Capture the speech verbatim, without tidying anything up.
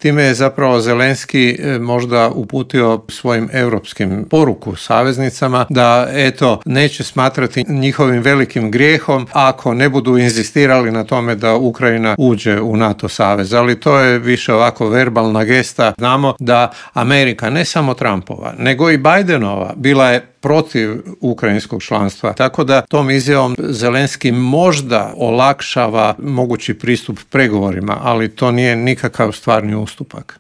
Time je zapravo Zelenski možda uputio svojim europskim poruku saveznicama da eto neće smatrati njihovim velikim grijehom ako ne budu inzistirali na tome da Ukrajina uđe u NATO savez. Ali to je više ovako verbalna gesta. Znamo da Amerika, ne samo Trumpova, nego i Bidenova, bila je protiv ukrajinskog članstva. Tako da tom izjavom Zelenski možda olakšava mogući pristup pregovorima, ali to nije nikakav stvarni ustupak.